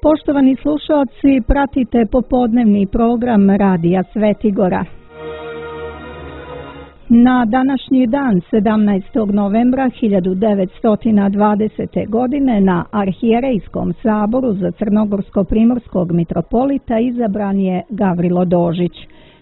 Poštovani slušalci, pratite popodnevni program Radija Svetigora. Na današnji dan, 17. novembra 1920. godine, na Arhijerejskom saboru za Crnogorsko-primorskog mitropolita izabran je Gavrilo Dožić.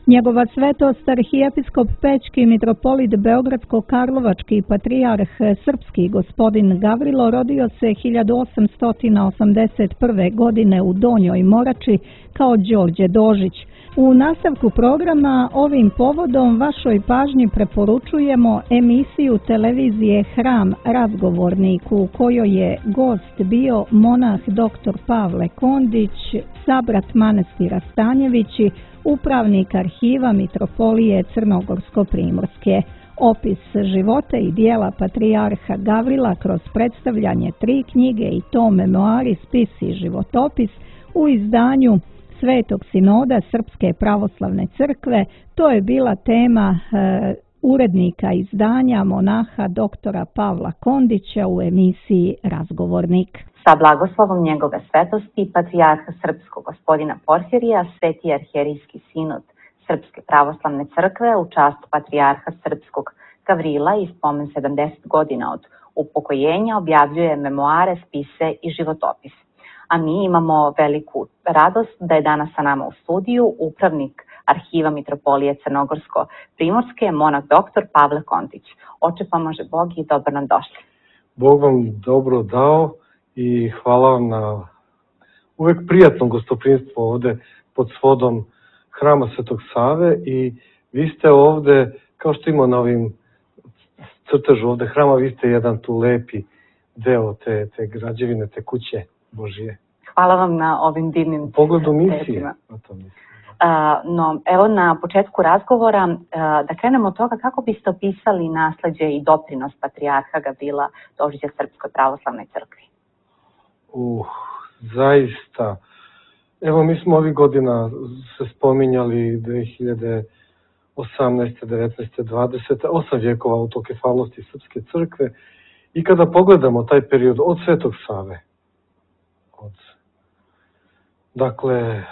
Njegova svetost arhijepiskop Pećki mitropolit Beogradsko-Karlovački patrijarh srpski gospodin Gavrilo rodio se 1881. godine u Donjoj Morači kao Đorđe Dožić. U nastavku programa ovim povodom vašoj pažnji preporučujemo emisiju televizije Hram razgovornik u kojoj je gost bio monah dr. Pavle Kondić, sabrat manastira Stanjevići, upravnik arhiva mitropolije Crnogorsko-primorske. Opis života i dijela patrijarha Gavrila kroz predstavljanje 3 knjige i to memoari, spis i životopis u izdanju Svetog sinoda Srpske pravoslavne crkve. To je bila tema urednika izdanja monaha doktora Pavla Kondića u emisiji Razgovornik. Sa blagoslovom njegove svetosti, patrijarha srpskog gospodina Porfirija, sveti arhijerijski sinod Srpske pravoslavne crkve u čast patrijarha srpskog Gavrila i spomen 70 godina od upokojenja objavljuje memoare, spise i životopis. A mi imamo veliku radost da je danas sa nama u studiju upravnik arhiva mitropolije Crnogorsko-primorske, monah doktor Pavle Kondić. Oče pomože Bog i dobro nam došli. Bog vam dobro dao i hvala vam na uvek prijatnom gostoprinstvu ovde pod svodom Hrama Svetog Save i vi ste ovde, kao što ima na ovim crtežu ovde hrama, vi ste jedan tu lepi deo te građevine, te kuće Božije. Hvala vam na ovim divnim u pogledu misije. No, evo na početku razgovora da krenemo od toga kako biste opisali nasleđe i doprinos patrijarha Gavrila Dožića Srpskoj pravoslavnoj crkvi. Zaista. Evo mi smo ovih godina se spominjali 2018. 19. 20. 8 vjekova autokefalnosti Srpske crkve i kada pogledamo taj period od Svetog Save, dakle,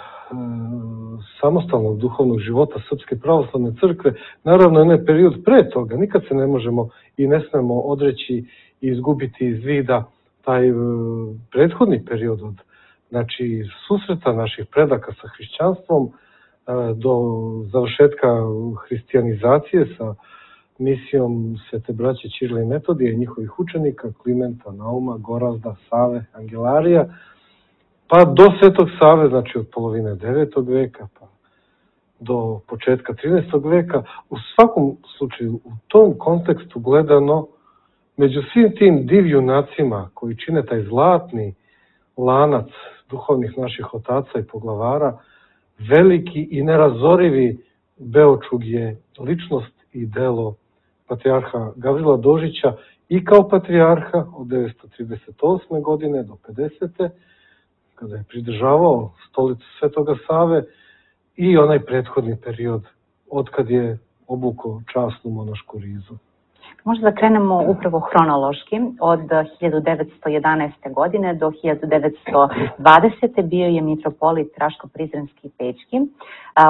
samostalnog duhovnog života Srpske pravoslavne crkve, naravno onaj period pre toga, nikad se ne možemo i ne smemo odreći i izgubiti iz vida taj prethodni period od susreta naših predaka sa hrišćanstvom do završetka hrišćanizacije sa misijom Svete braće Ćirila i Metodija i njihovih učenika, Klimenta, Nauma, Gorazda, Save, Angelarija, pa do Svetog Save, znači od polovine 9. veka pa do početka 13. veka. U svakom slučaju, u tom kontekstu gledano, među svim tim divjunacima koji čine taj zlatni lanac duhovnih naših otaca i poglavara, veliki i nerazorivi Beočug je ličnost i delo patrijarha Gavrila Dožića i kao patrijarha od 938. godine do 50. kada je pridržavao stolicu Svetoga Save i onaj prethodni period od kad je obukao časnu monašku rizu. Možda da krenemo upravo hronološki. Od 1911. godine do 1920. bio je mitropolit Raško-Prizrenski i Pećki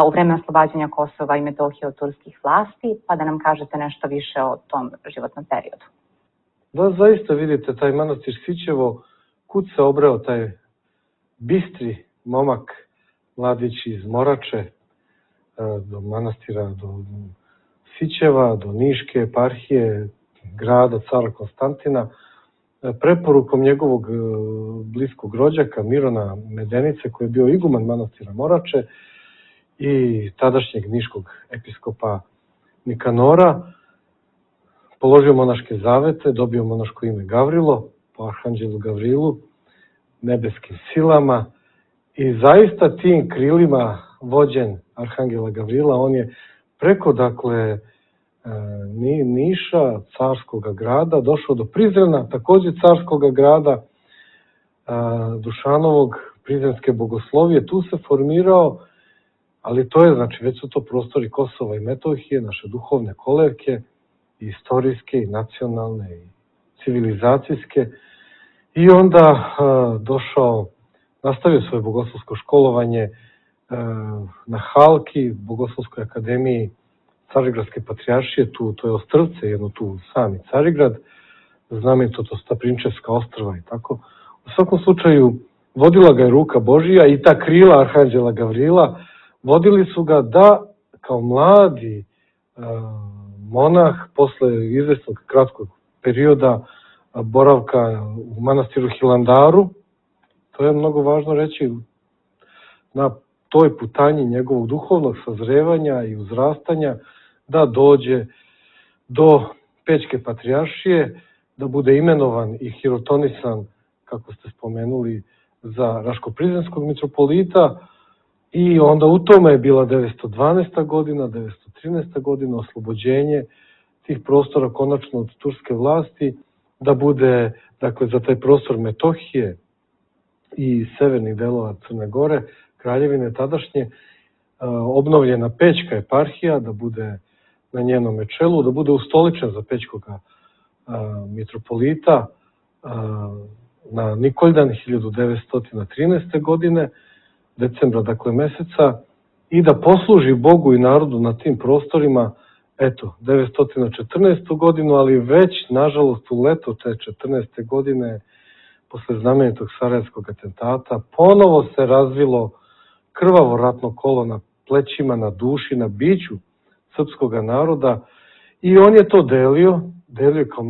u vreme oslobađanja Kosova i Metohije od turskih vlasti, pa da nam kažete nešto više o tom životnom periodu. Da, zaista vidite, taj manastir Sićevo, kud se obreo taj bistri momak, mladić iz Morače, do manastira, do Sićeva, do Niške eparhije, grada cara Konstantina, preporukom njegovog bliskog rođaka Mirona Medenice, koji je bio iguman manastira Morače i tadašnjeg niškog episkopa Nikanora, položio monaške zavete, dobio monaško ime Gavrilo, po arhanđelu Gavrilu, nebeskim silama i zaista tim krilima vođen arhangela Gavrila, on je preko, dakle, Niša, carskog grada, došao do Prizrena, takođe carskog grada, Dušanovog, Prizrenske bogoslovije, tu se formirao, ali to je, znači, već su to prostori Kosova i Metohije, naše duhovne kolevke, i istorijske, i nacionalne, i civilizacijske, i onda došao nastavio svoje bogoslovsko školovanje na Halki, Bogoslovskoj akademiji Carigradske patrijaršije, to je ostrvce, jedno tu sami Carigrad, znamenito to Staprinčevska ostrva i tako. U svakom slučaju, vodila ga je ruka Božija i ta krila Arhanđela Gavrila, vodili su ga da kao mladi monah, posle izvesnog kratkog perioda boravka u manastiru Hilandaru, to je mnogo važno reći, na toj putanji njegovog duhovnog sazrevanja i uzrastanja, da dođe do Pećke patrijaršije, da bude imenovan i hirotonisan, kako ste spomenuli, za Raško-Prizrenskog mitropolita, i onda u tome je bila 912. godina, 913. godina, oslobođenje tih prostora konačno od turske vlasti, da bude, dakle, za taj prostor Metohije i severnih delova Crne Gore, kraljevine tadašnje, obnovljena Pećka eparhija, da bude na njenom čelu, da bude ustoličen za Pećkog mitropolita na Nikoljdan 1913. godine, decembra, dakle, meseca, i da posluži Bogu i narodu na tim prostorima, eto, 914. godinu, ali već, nažalost, u leto te 14. godine, posle znamenitog sarajevskog atentata, ponovo se razvilo krvavo ratno kolo na plećima, na duši, na biću srpskog naroda, i on je to delio kao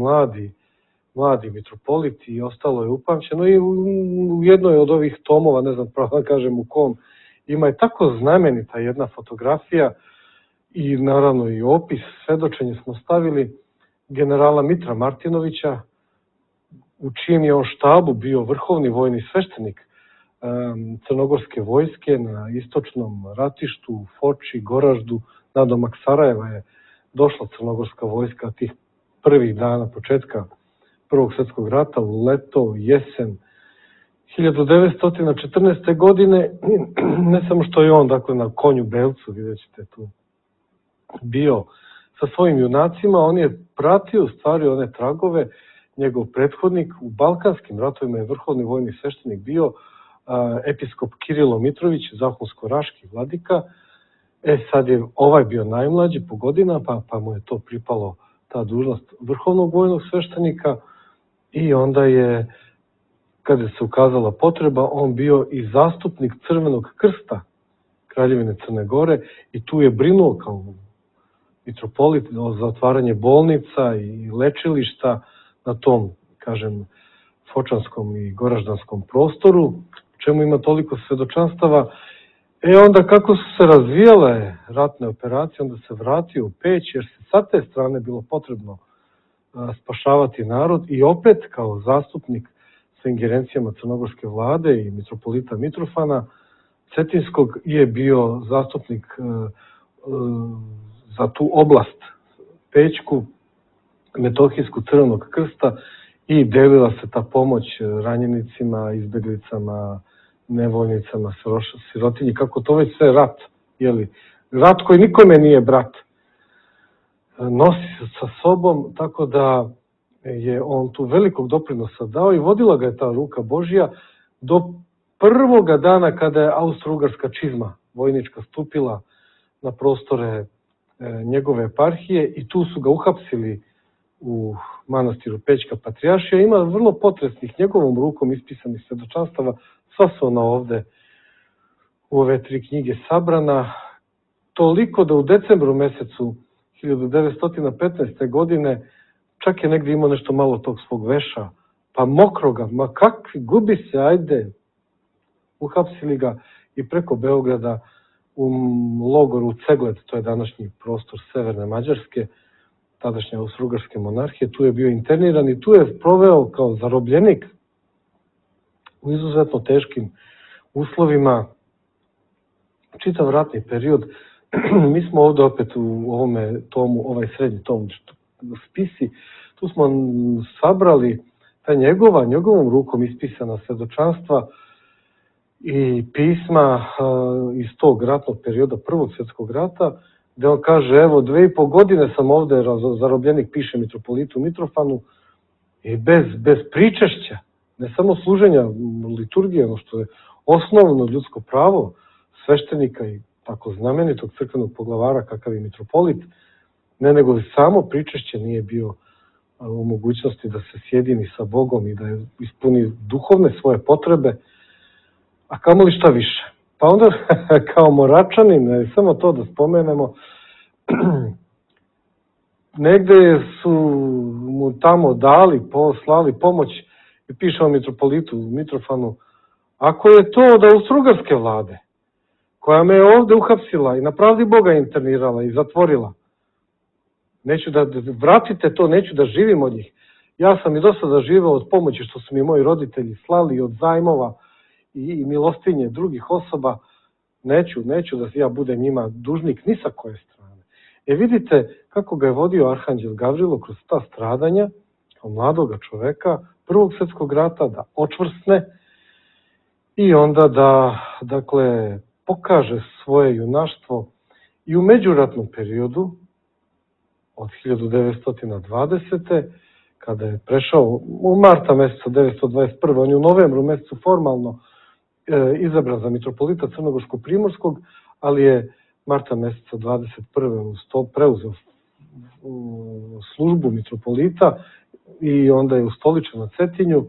mladi mitropolit, i ostalo je upamćeno. I u jednoj od ovih tomova, ne znam pravo da kažem u kom, ima je tako znamenita jedna fotografija i naravno i opis, svedočenje smo stavili generala Mitra Martinovića, u čijem je on štabu bio vrhovni vojni sveštenik crnogorske vojske na istočnom ratištu, u Foči, Goraždu, nadomak Sarajeva je došla crnogorska vojska tih prvih dana početka Prvog svjetskog rata, u leto, jesen 1914. godine. Ne samo što je on, dakle, na konju belcu, vidjet ćete tu, bio sa svojim junacima, on je pratio u stvari one tragove. Njegov prethodnik u Balkanskim ratovima je vrhovni vojni sveštenik bio episkop Kirilo Mitrović, zahumsko-raški vladika. Sad je ovaj bio najmlađi po godina, pa mu je to pripalo, ta dužnost vrhovnog vojnog sveštenika, i onda je, kada se ukazala potreba, on bio i zastupnik Crvenog krsta Kraljevine Crne Gore, i tu je brinuo kao mitropolit za otvaranje bolnica i lečilišta na tom, kažem, fočanskom i goraždanskom prostoru, čemu ima toliko svedočanstava. Onda kako su se razvijale ratne operacije, onda se vratio u Peć, jer se sa te strane bilo potrebno spašavati narod, i opet kao zastupnik sa ingerencijama crnogorske vlade i mitropolita Mitrofana Cetinskog je bio zastupnik za tu oblast Pećku, Metohijsku, Crvenog krsta, i delila se ta pomoć ranjenicima, izbeglicama, nevoljnicama, sirotinji, kako to već sve rat, rat koji nikome nije brat, nosi sa sobom, tako da je on tu velikog doprinosa dao i vodila ga je ta ruka Božja do prvoga dana kada je austro-ugarska čizma vojnička stupila na prostore njegove eparhije, i tu su ga uhapsili u manastiru Pećka patrijaršija. Ima vrlo potresnih njegovom rukom ispisanih svedočanstava, sva su ona ovde u ove 3 knjige sabrana, toliko da u decembru mesecu 1915. godine čak je negdje imao nešto malo tog svog veša, pa mokroga, ma kakvi, gubi se, ajde. Uhapsili ga i preko Beograda u logoru Cegled, to je današnji prostor severne Mađarske, tadašnje austro-ugarske monarhije, tu je bio interniran i tu je proveo kao zarobljenik u izuzetno teškim uslovima čitav ratni period. Mi smo ovde opet u ovome tomu, ovaj srednji tom spisi, tu smo sabrali ta njegovom rukom ispisana svedočanstva i pisma iz tog ratnog perioda Prvog svjetskog rata, gde on kaže, evo, 2,5 godine sam ovde zarobljenik, piše mitropolitu Mitrofanu, i bez pričešća, ne samo služenja liturgije, ono što je osnovno ljudsko pravo sveštenika i tako znamenitog crkvenog poglavara kakav je mitropolit, ne nego li samo pričešće nije bio u mogućnosti da se sjedini sa Bogom i da ispuni duhovne svoje potrebe, a kamoli šta više. Pa onda kao Moračanin, samo to da spomenemo, negde su mu tamo slali pomoć i piše o mitropolitu Mitrofanu, ako je to od Austrougarske vlade, koja me je ovde uhapsila i na pravdi Boga internirala i zatvorila, neću da vratite to, neću da živim od njih. Ja sam i do sada živeo od pomoći što su mi moji roditelji slali, od zajmova i milostinje drugih osoba. Neću da ja budem njima dužnik ni sa koje strane. Vidite kako ga je vodio arhanđel Gavrilo kroz ta stradanja, kao mladoga čoveka, Prvog svjetskog rata, da očvrsne i onda da, dakle, pokaže svoje junaštvo i u međuratnom periodu od 1920. kada je prešao u marta meseca 1921. On je u novembru mesecu formalno izabran za mitropolita Crnogorsko-Primorskog, ali je marta meseca 21. preuzeo službu mitropolita i onda je ustoličen na Cetinju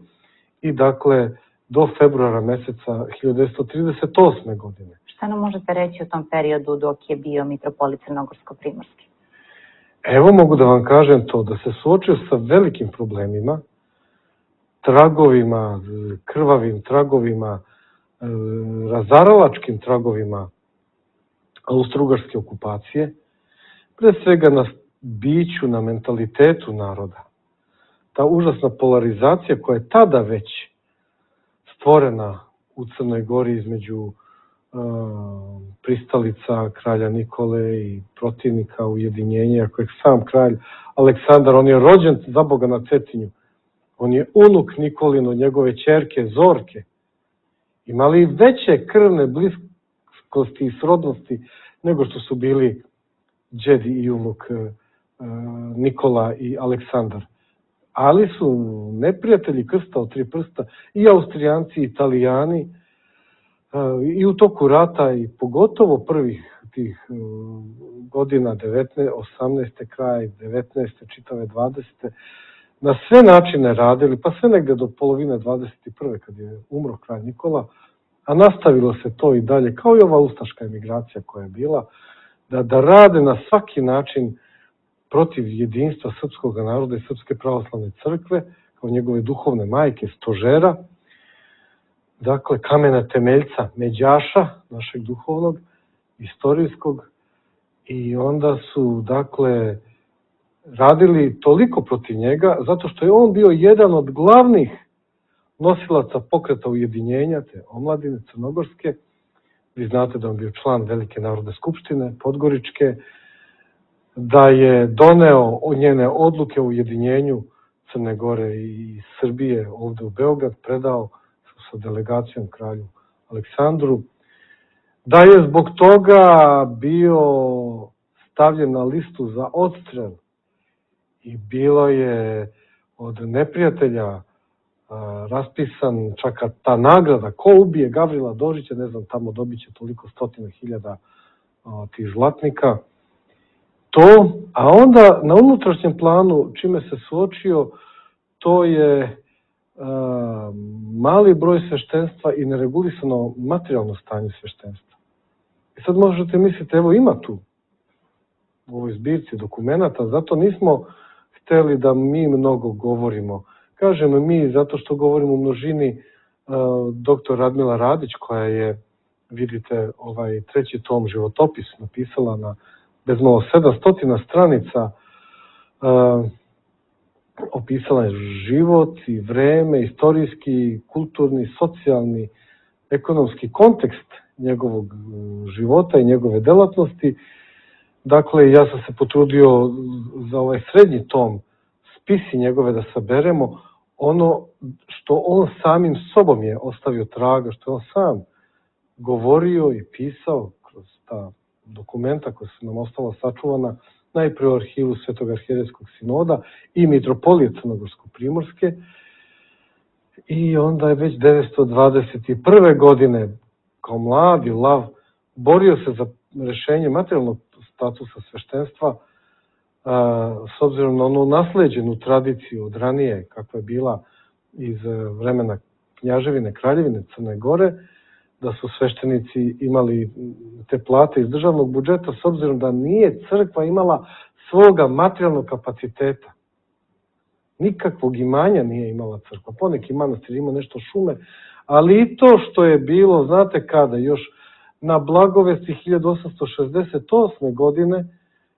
i dakle do februara meseca 1938. godine. Šta nam možete reći o tom periodu dok je bio mitropolit Crnogorsko-Primorski? Evo mogu da vam kažem to, da se suočio sa velikim problemima, tragovima, krvavim tragovima, razaralačkim tragovima austrougarske okupacije, pre svega na biću, na mentalitetu naroda. Ta užasna polarizacija koja je tada već stvorena u Crnoj Gori između pristalica kralja Nikole i protivnika ujedinjenja, kojeg sam kralj Aleksandar, on je rođen za Boga na Cetinju, on je unuk Nikolin od njegove ćerke Zorke, imali veće krvne bliskosti i srodnosti nego što su bili đedi i unuk Nikola i Aleksandar. Ali su neprijatelji krsta od tri prsta i Austrijanci i Italijani i u toku rata i pogotovo prvih tih godina 18. kraj 19. čitave 20. na sve načine radili, pa sve negde do polovine 21. kad je umro kralj Nikola, a nastavilo se to i dalje, kao i ova ustaška emigracija koja je bila, da rade na svaki način protiv jedinstva srpskog naroda i Srpske pravoslavne crkve, kao njegove duhovne majke, stožera, dakle kamena temeljca, međaša našeg duhovnog, istorijskog, i onda su, dakle, radili toliko protiv njega, zato što je on bio jedan od glavnih nosilaca pokreta ujedinjenja, te omladine crnogorske. Vi znate da on bio član Velike narodne skupštine, Podgoričke, da je doneo njene odluke o ujedinjenju Crne Gore i Srbije ovde u Beograd, predao sa delegacijom kralju Aleksandru, da je zbog toga bio stavljen na listu za odstrel i bilo je od neprijatelja raspisan čak ta nagrada, ko ubije Gavrila Dožića, ne znam, tamo dobit će toliko stotina hiljada tih zlatnika. To, a onda na unutrašnjem planu, čime se suočio, to je mali broj sveštenstva i neregulisano materijalno stanje sveštenstva. I sad možete misliti, evo ima tu u ovoj zbirci dokumenata, zato nismo hteli da mi mnogo govorimo. Kažemo mi zato što govorimo u množini dr. Radmila Radić, koja je, vidite, ovaj treći tom životopis napisala na bezmalo 700 stranica, opisala je život i vreme, istorijski, kulturni, socijalni, ekonomski kontekst njegovog života i njegove delatnosti. Dakle, ja sam se potrudio za ovaj srednji tom spisi njegove da saberemo ono što on samim sobom je ostavio traga, što je on sam govorio i pisao kroz ta dokumenta koja su nam ostala sačuvana najpre u arhivu Svetog arhijerejskog sinoda i mitropolije Crnogorsko-Primorske. I onda je već 921. godine kao mladi lav borio se za rešenje materijalnog statusa sveštenstva, s obzirom na onu nasleđenu tradiciju od ranije, kakva je bila iz vremena Knjaževine, Kraljevine Crne Gore, da su sveštenici imali te plate iz državnog budžeta, s obzirom da nije crkva imala svoga materijalnog kapaciteta. Nikakvog imanja nije imala crkva. Poneki manastir ima nešto šume, ali i to što je bilo, znate kada, još na Blagovesti 1868. godine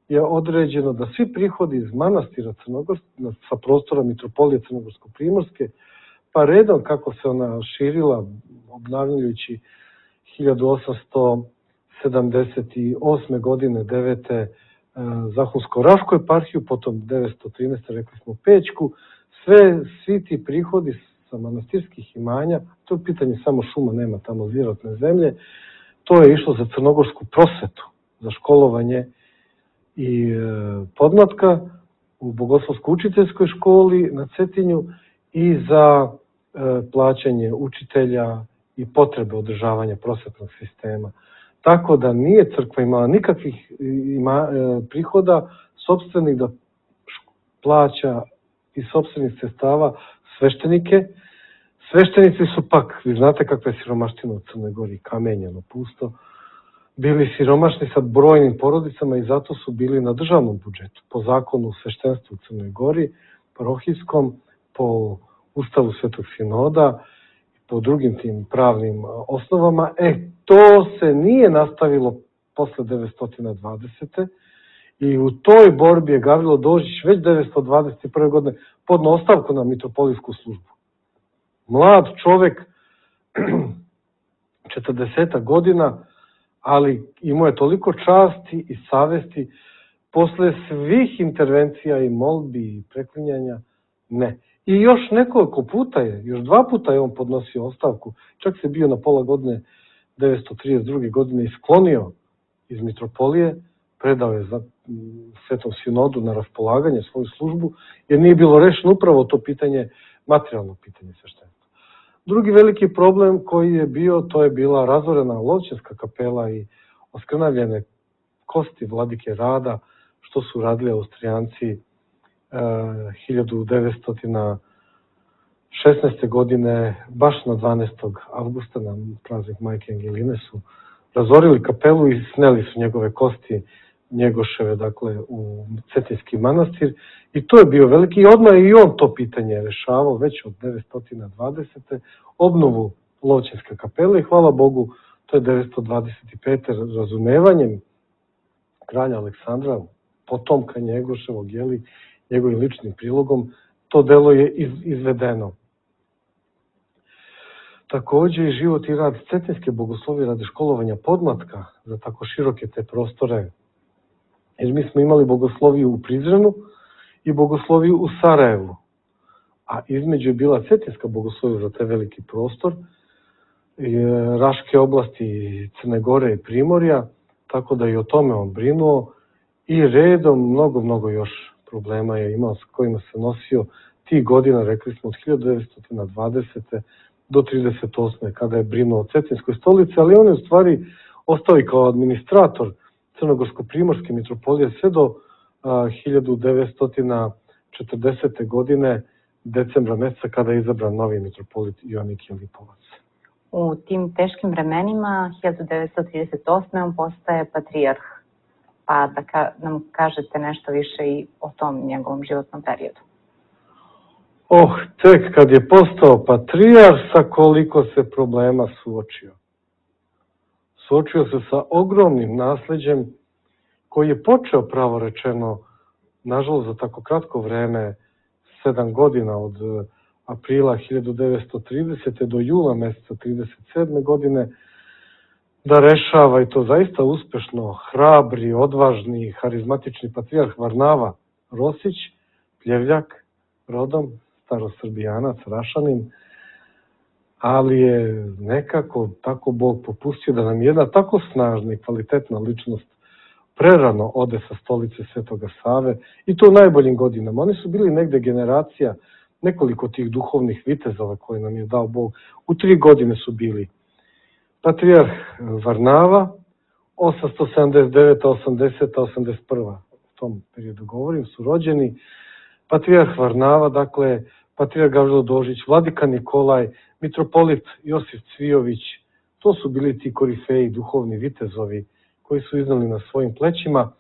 je određeno da svi prihodi iz manastira sa prostora Mitropolije Crnogorsko-Primorske, pa redom kako se ona širila, obnavljajući 1878. godine 9. Zahumsko-Rašku eparhiju, potom 913. rekli smo Pećku, svi ti prihodi sa manastirskih imanja, to je pitanje samo šuma, nema tamo zirotne zemlje, to je išlo za crnogorsku prosvetu, za školovanje i podmlatka u Bogoslovsko-učiteljskoj školi na Cetinju i za plaćanje učitelja i potrebe održavanja prosvetnog sistema. Tako da nije crkva imala nikakvih prihoda sopstvenih da plaća iz sopstvenih sredstava sveštenike. Sveštenici su pak, vi znate kakva je siromaština u Crnoj Gori, kamenjeno, pusto, bili siromašni sa brojnim porodicama i zato su bili na državnom budžetu, po zakonu o sveštenstvu u Crnoj Gori, parohijskom, po Ustavu Svetog Sinoda, po drugim tim pravnim osnovama. To se nije nastavilo posle 920. I u toj borbi je Gavrilo Dožić već 921. godine podno ostavku na mitropolijsku službu. Mlad čovek, 40 godina, ali imao je toliko časti i savesti, posle svih intervencija i molbi i preklinjanja, ne. I još nekoliko puta još 2 puta je on podnosio ostavku, čak se bio na pola godine 932. godine isklonio iz mitropolije, predao je za Svetom Sinodu na raspolaganje svoju službu, jer nije bilo rešeno upravo to pitanje, materijalno pitanje sveštenstva. Drugi veliki problem koji je bio, to je bila razorena Lovćenska kapela i oskrnavljene kosti vladike Rada, što su radili Austrijanci 1916. godine, baš na 12. avgusta, na praznik Majke Angeline, su razorili kapelu i sneli su njegove kosti, Njegoševe, dakle, u Cetinski manastir. I to je bio veliki, i odmah i on to pitanje rešavao već od 920. obnovu Lovćenske kapele i hvala Bogu, to je 925. razumevanjem kralja Aleksandra, potomka Njegoševog, njegovim ličnim prilogom, to delo je izvedeno. Takođe i život i rad Cetinske bogoslovije radi školovanja podmlatka za tako široke te prostore, jer mi smo imali bogosloviju u Prizrenu i bogosloviju u Sarajevu, a između je bila Cetinska bogoslovija za taj veliki prostor, Raške oblasti, Crne Gore i Primorja, tako da i o tome on brinuo i redom mnogo još problema je imao s kojima se nosio tih godina, rekli smo od 1920. do 38. kada je brinuo o Cetinskoj stolici, ali on je u stvari ostao i kao administrator Crnogorsko-Primorske mitropolije sve do 1940. godine, decembra meseca, kada je izabran novi mitropolit Joanikije Lipovac. U tim teškim vremenima, 1938. on postaje patrijarh, pa da nam kažete nešto više i o tom njegovom životnom periodu. Tek kad je postao patrijarh, sa koliko se problema suočio. Suočio se sa ogromnim nasleđem koji je počeo, pravo rečeno, nažalost za tako kratko vreme, 7 godina od aprila 1930. do jula meseca 1937. godine, da rešava, i to zaista uspešno, hrabri, odvažni, harizmatični patrijarh Varnava Rosić, Pljevljak, rodom, starosrbijanac, Rašanin, ali je nekako tako Bog popustio da nam jedna tako snažna i kvalitetna ličnost prerano ode sa stolice Svetoga Save, i to u najboljim godinama. Oni su bili negde generacija nekoliko tih duhovnih vitezova koje nam je dao Bog. U 3 godine su bili patrijarh Varnava, 879. 80. 81. U tom periodu govorim, su rođeni. Patrijarh Varnava, dakle, patrijarh Gavrilo Dožić, vladika Nikolaj, mitropolit Josif Cvijović, to su bili ti korifeji, duhovni vitezovi koji su iznali na svojim plećima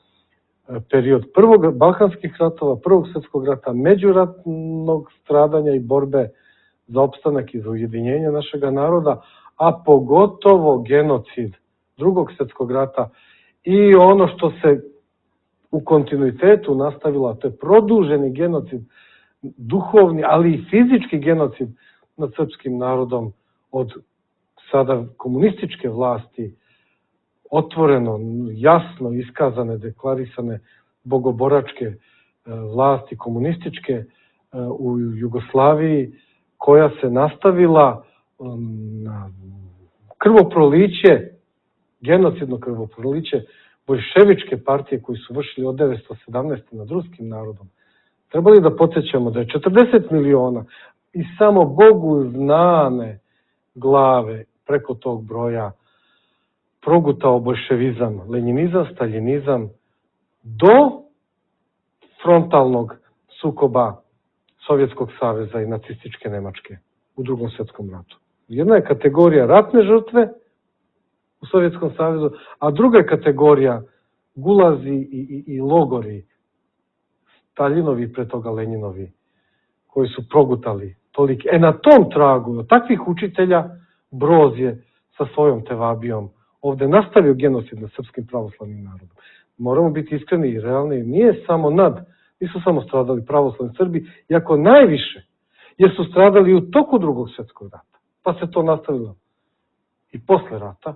period prvog balkanskih ratova, prvog svjetskog rata, međuratnog stradanja i borbe za opstanak i za ujedinjenje našega naroda, a pogotovo genocid drugog svjetskog rata i ono što se u kontinuitetu nastavilo, to je produženi genocid, duhovni, ali i fizički genocid nad srpskim narodom od sada komunističke vlasti, otvoreno, jasno iskazane, deklarisane bogoboračke vlasti komunističke u Jugoslaviji, koja se nastavila na krvoproliće, genocidno krvoproliće boljševičke partije koji su vršili od 1917. nad ruskim narodom. Trebali da podsjećamo da je 40 miliona i samo Bogu znane glave preko tog broja progutao boljševizam, lenjinizam, staljinizam do frontalnog sukoba Sovjetskog saveza i nacističke Nemačke u Drugom svjetskom ratu. Jedna je kategorija ratne žrtve u Sovjetskom savezu, a druga je kategorija gulazi i logori, Staljinovi, pre toga Lenjinovi, koji su progutali toliki. Na tom tragu, od takvih učitelja, Broz je sa svojom tevabijom ovde nastavio genocid nad srpskim pravoslavnim narodom. Moramo biti iskreni i realni, nisu samo stradali pravoslavni Srbi, iako najviše, jer su stradali u toku Drugog svjetskog rata. Pa se to nastavilo i posle rata.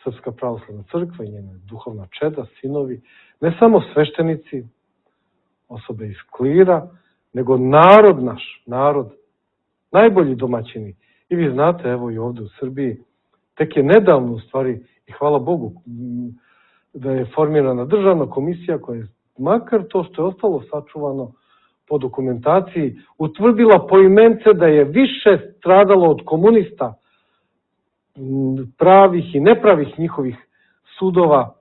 Srpska pravoslavna crkva i njena duhovna čeda, sinovi, ne samo sveštenici, osobe iz klira, nego narod naš, najbolji domaćini. I vi znate, evo i ovde u Srbiji, tek je nedavno u stvari, i hvala Bogu, da je formirana državna komisija koja je, makar to što je ostalo sačuvano po dokumentaciji, utvrdila poimence da je više stradalo od komunista, pravih i nepravih njihovih sudova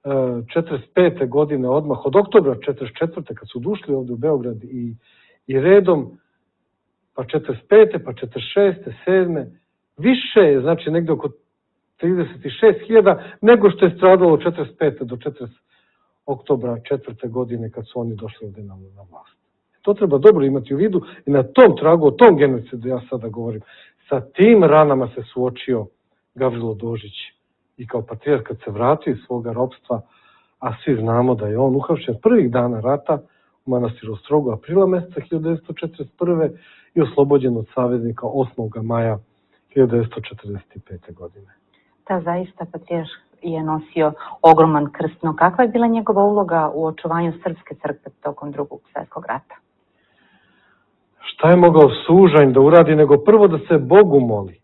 45. godine, odmah od oktobra 44. kad su došli ovde u Beograd i redom, pa 45. pa 46. 7. više je, znači negde oko 36.000 nego što je stradalo od 45. do 40. oktobra 4. godine kad su oni došli ovde na vlast. To treba dobro imati u vidu i na tom tragu, o tom genocidu ja sada govorim. Sa tim ranama se suočio Gavrilo Dožić i kao patrijarh kad se vratio iz svoga ropstva, a svi znamo da je on uhapšen prvih dana rata u manastiru Ostrogu aprila meseca 1941. i oslobođen od saveznika 8. maja 1945. godine. Da, zaista patrijarh je nosio ogroman krst, no kakva je bila njegova uloga u očuvanju srpske crkve tokom Drugog svjetskog rata? Šta je mogao sužanj da uradi, nego prvo da se Bogu moli.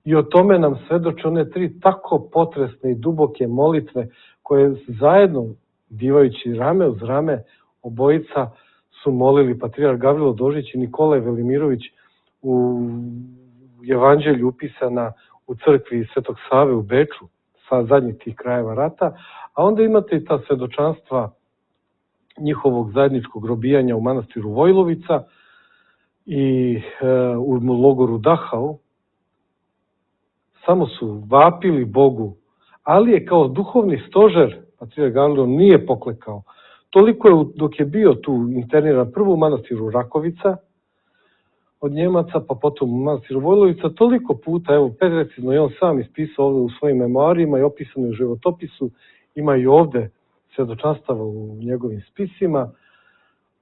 I o tome nam svedoče one 3 tako potresne i duboke molitve koje zajedno, bivajući rame uz rame, obojica su molili patrijarh Gavrilo Dožić i Nikolaj Velimirović u evanđelju upisana u crkvi Svetog Save u Beču, sa zadnjih tih krajeva rata, a onda imate i ta svedočanstva njihovog zajedničkog robijanja u manastiru Vojlovica i u logoru Dachau. Samo su vapili Bogu, ali je kao duhovni stožer patrijarh Gavrilo nije poklekao. Toliko je, dok je bio tu interniran prvo u manastiru Rakovica od Njemaca, pa potom u manastiru Vojlovica, toliko puta, evo, precizno je on sam ispisao ovde u svojim memoarima i opisano u životopisu, ima i ovde svedočanstava u njegovim spisima,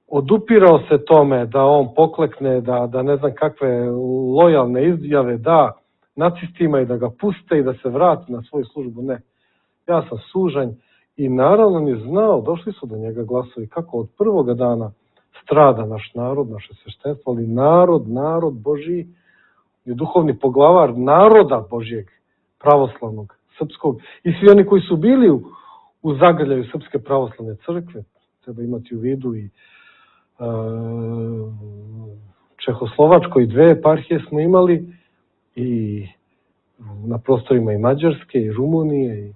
odupirao se tome da on poklekne, da ne znam kakve lojalne izjave da nacistima i da ga puste i da se vrati na svoju službu. Ne, ja sam sužanj i naravno on je znao, došli su do njega glasovi kako od prvoga dana strada naš narod, naše sveštenstvo, ali narod Božiji je duhovni poglavar naroda Božijeg, pravoslavnog, srpskog i svi oni koji su bili u zagrljaju Srpske pravoslavne crkve, treba imati u vidu i Čehoslovačkoj 2 eparhije smo imali i na prostorima i Mađarske i Rumunije i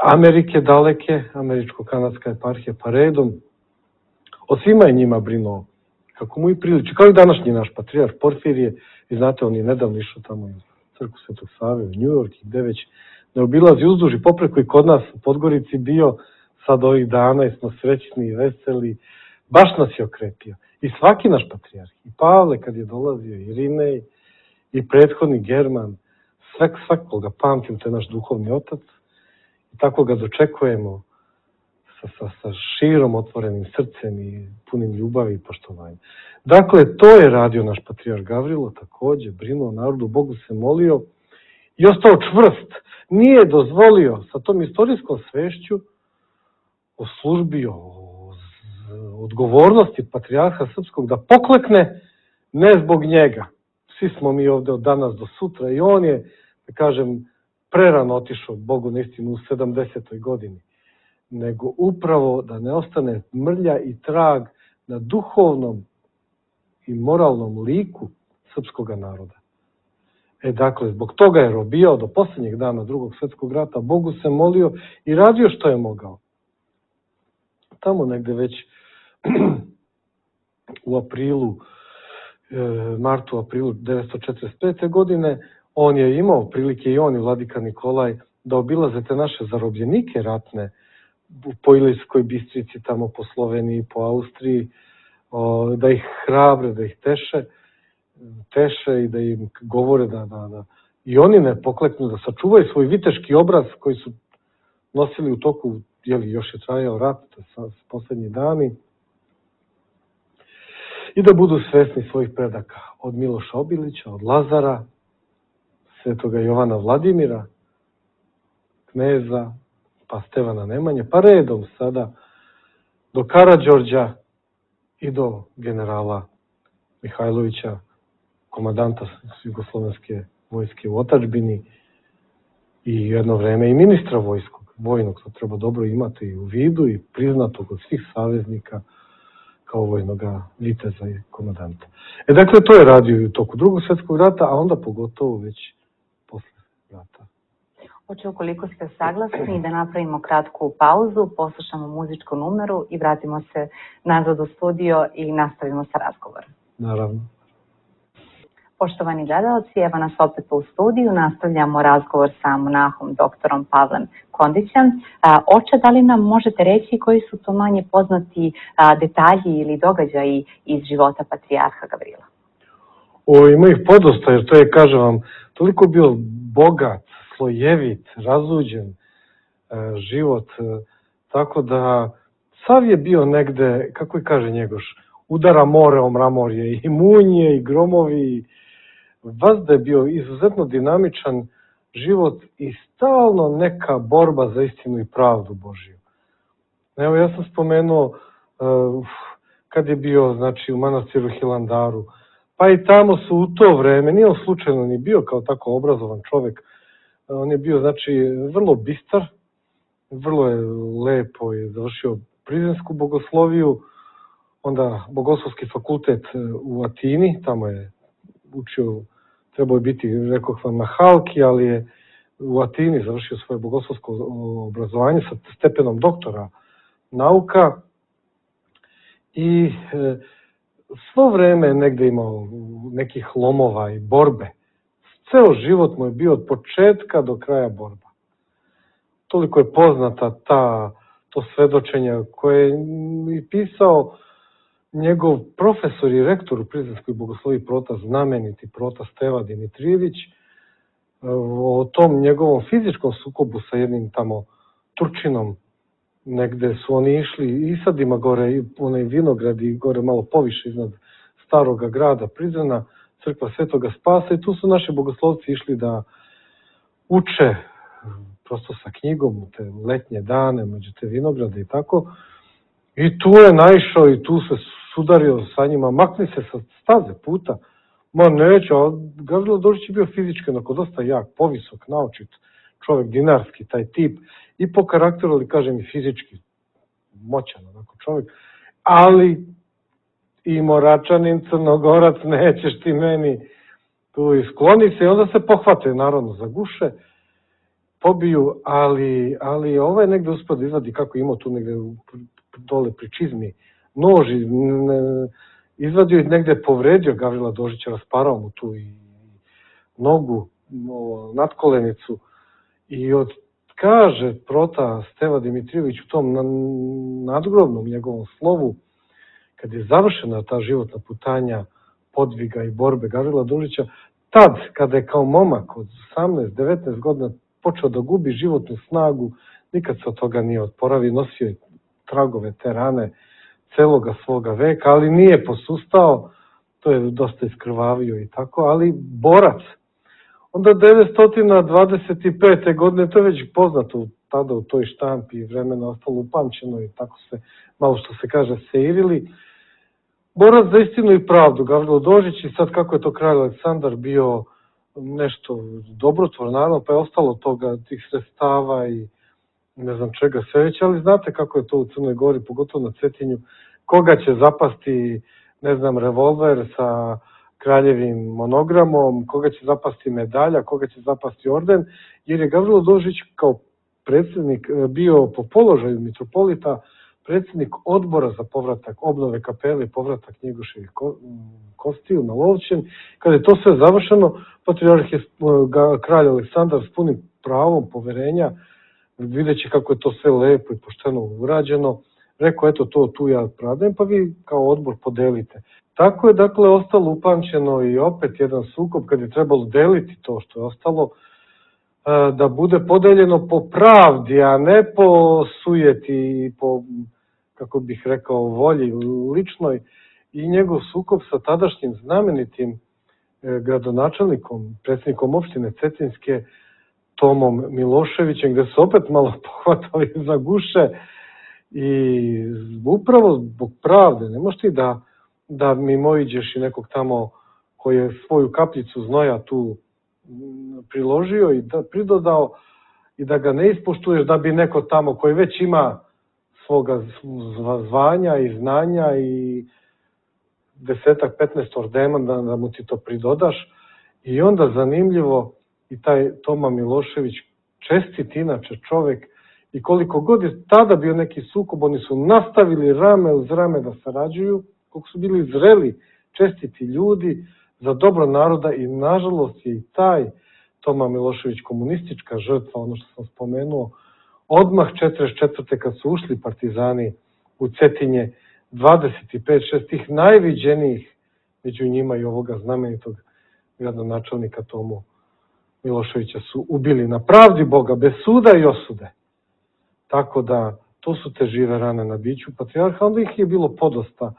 Amerike daleke, američko-kanadska eparhija pa redom. O svima je njima brinuo kako mu i priliči. Kao i današnji naš patrijarh Porfirije, vi znate, on je nedavno išao tamo u crkvu Svetog Save u New York i gde već ne obilazi uzduž i popreko i kod nas u Podgorici bio sad ovih dana i smo srećni i veseli. Baš nas je okrepio. I svaki naš patrijarh, i Pavle kad je dolazio, i Irinej, i prethodni German, svakoga pamtim, to je naš duhovni otac. I tako ga dočekujemo sa širom otvorenim srcem i punim ljubavi i poštovanja. Dakle, to je radio naš patrijarh Gavrilo, takođe, brinuo narodu, Bogu se molio i ostao čvrst. Nije dozvolio sa tom istorijskom svešću o službi, o odgovornosti patrijarha srpskog da poklekne, ne zbog njega. Svi smo mi ovde od danas do sutra i on je, da kažem, prerano otišao Bogu na istinu u 70. godini, nego upravo da ne ostane mrlja i trag na duhovnom i moralnom liku srpskog naroda. Dakle, zbog toga je robijao do posljednjeg dana Drugog svjetskog rata, Bogu se molio i radio što je mogao. Tamo negde već u aprilu, martu, aprilu 1945. godine, on je imao prilike i on i vladika Nikolaj da obilaze te naše zarobljenike ratne po Ilirskoj Bistrici, tamo po Sloveniji, po Austriji, da ih hrabre, da ih teše i da im govore da i oni ne pokleknu, da sačuvaju svoj viteški obraz koji su nosili u toku, još je trajao rat, to je poslednji dani, i da budu svesni svojih predaka, od Miloša Obilića, od Lazara, svetoga Jovana Vladimira, kneza, pa Stevana Nemanje, pa redom sada do Karađorđa i do generala Mihajlovića, komandanta Jugoslovenske vojske u otadžbini i jedno vreme i ministra vojnog, to treba dobro imati u vidu i priznatog od svih saveznika kao vojnog viteza i komandanta. Dakle, to je radio i u toku Drugog svjetskog rata, a onda pogotovo već posle rata. Hoće, ukoliko ste saglasni, da napravimo kratku pauzu, poslušamo muzičku numeru i vratimo se nazad u studio i nastavimo sa razgovorom. Naravno. Poštovani gledalci, evo nas opet u studiju, nastavljamo razgovor sa monahom doktorom Pavlem Kondićem. Oče, da li nam možete reći koji su to manje poznati detalji ili događaji iz života patrijarha Gavrila? Ima ih podosta, jer to je, kažem vam, toliko bio bogat, slojevit, razuđen život, tako da sav je bio negde, kako i kaže Njegoš, udara more o mramorje, i munje, i gromovi, vazda je bio izuzetno dinamičan život i stalno neka borba za istinu i pravdu Božiju. Evo, ja sam spomenuo kad je bio, znači, u manastiru Hilandaru, pa i tamo su u to vreme, nije on slučajno ni bio kao tako obrazovan čovek, on je bio, znači, vrlo bistar, vrlo je lepo je završio prizrensku bogosloviju, onda bogoslovski fakultet u Atini, tamo je učio, trebao je biti, rekoh vam, na Halki, ali je u Atini završio svoje bogoslovsko obrazovanje sa stepenom doktora nauka i svo vreme negde imao nekih lomova i borbe. Ceo život mu je bio od početka do kraja borba. Toliko je poznata to svedočenje koje je pisao njegov profesor i rektor u Prizrenskoj bogosloviji prota, znameniti prota Steva Dimitrijević, o tom njegovom fizičkom sukobu sa jednim tamo Turčinom, negde su oni išli i sadima gore, i onaj vinograd i gore malo poviše iznad staroga grada Prizrena, crkva Svetoga Spasa, i tu su naši bogoslovci išli da uče prosto sa knjigom u te letnje dane, među te vinograde i tako. I tu je naišao i tu se sudario sa njima, makni se sa staze puta. Ma neće, a Gavrilo Dožić je bio fizički onako dosta jak, povisok, naočit čovek, dinarski, taj tip, i po karakteru, ali kažem i fizički, moćan onako čovek, ali i Moračanin, Crnogorac, nećeš ti meni tu i skloni se i onda se pohvate naravno za guše, pobiju, ali ovaj negde uspio da izvadi kako imao tu negde dole pri čizmi nož i izvadio i negde povredio Gavrila Dožića, rasparao mu tu i nogu, nadkolenicu i kaže prota Steva Dimitrijević u tom nadgrobnom njegovom slovu, kad je završena ta životna putanja podviga i borbe Gavrila Dožića, tad, kada je kao momak od 18-19 godina počeo da gubi životnu snagu, nikad se od toga nije odporavio, nosio je tragove te rane celoga svoga veka, ali nije posustao, to je dosta iskrvavio i tako, ali borac. Onda 1925. godine, to je već poznato tada u toj štampi i vremena ostalo upamćeno i tako se, malo što se kaže, seirili. Borac za istinu i pravdu, Gavrilo Dožić, i sad kako je to kralj Aleksandar bio nešto dobrotvor, naravno, pa je ostalo toga, tih sredstava i ne znam čega sve već, ali znate kako je to u Crnoj Gori, pogotovo na Cetinju, koga će zapasti, ne znam, revolver sa kraljevim monogramom, koga će zapasti medalja, koga će zapasti orden, jer je Gavrilo Dožić kao predsjednik bio po položaju mitropolita predsjednik odbora za povratak obnove kapele i povratak Njegoševih kostiju na Lovćen. Kada je to sve završeno, patrijarh je kralj Aleksandar s punim pravom poverenja, videći kako je to sve lepo i pošteno urađeno, rekao, eto to tu ja pradajem, pa vi kao odbor podelite. Tako je dakle ostalo upamćeno i opet jedan sukob kad je trebalo deliti to što je ostalo, da bude podeljeno po pravdi, a ne po sujeti i po, kako bih rekao, volji ličnoj, i njegov sukob sa tadašnjim znamenitim gradonačelnikom, predsjednikom opštine Cetinske, Tomom Miloševićem, gde su opet malo pohvatali za guše i upravo zbog pravde. Ne možeš ti da mimoiđeš i nekog tamo koji je svoju kapljicu znoja tu priložio i da pridodao i da ga ne ispoštuješ da bi neko tamo koji već ima svoga zvanja i znanja i 10-15 ordena da mu ti to pridodaš. I onda zanimljivo i taj Toma Milošević, čestit inače čovek, i koliko god je tada bio neki sukob, oni su nastavili rame uz rame da sarađuju, koliko su bili zreli, čestiti ljudi za dobro naroda, i nažalost je i taj Toma Milošević komunistička žrtva, ono što sam spomenuo, odmah 44. kad su ušli partizani u Cetinje, 25-6 tih najviđenijih, među njima i ovoga znamenitog gradonačelnika Tomu Miloševića, su ubili na pravdi Boga, bez suda i osude. Tako da, to su te žive rane na biću patrijarha, onda ih je bilo podosta.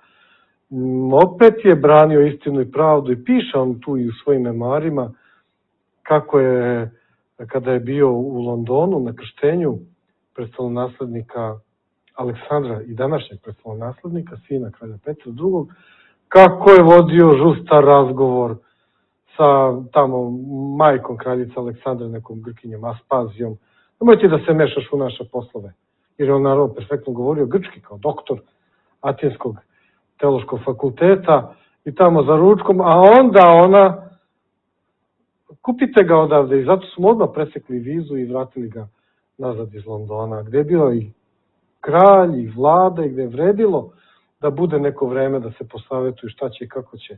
Opet je branio istinu i pravdu i piše on tu i u svojim memoarima kako je, kada je bio u Londonu na krštenju prestolonaslednika Aleksandra i današnjeg prestolonaslednika, sina kralja Petra II, kako je vodio žustar razgovor sa tamo majkom kraljice Aleksandra, nekom Grkinjom Aspazijom. Nemoj ti da se mešaš u naše poslove. Jer je on naravno perfektno govorio grčki kao doktor Atinskog teološkog fakulteta i tamo za ručkom, a onda ona, kupite ga odavde, i zato su mu odmah presekli vizu i vratili ga nazad iz Londona, gde je bio i kralj i vlada i gde je vredilo da bude neko vreme da se posavetuju šta će i kako će.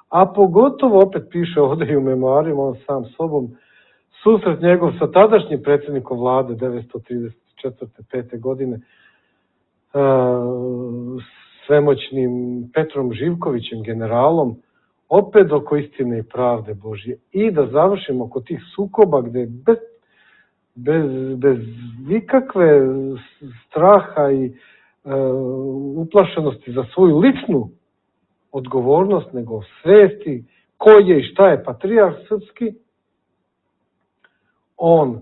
A pogotovo, opet piše ovde i u memoarima, on sam sobom, susret njegov sa tadašnjim predsjednikom vlade 1934-5. godine, svemoćnim Petrom Živkovićem, generalom, opet oko istine i pravde Božje. I da završimo oko tih sukoba gde bez nikakve straha i uplašenosti za svoju ličnu odgovornost, nego svesti ko je i šta je patrijarh srpski, on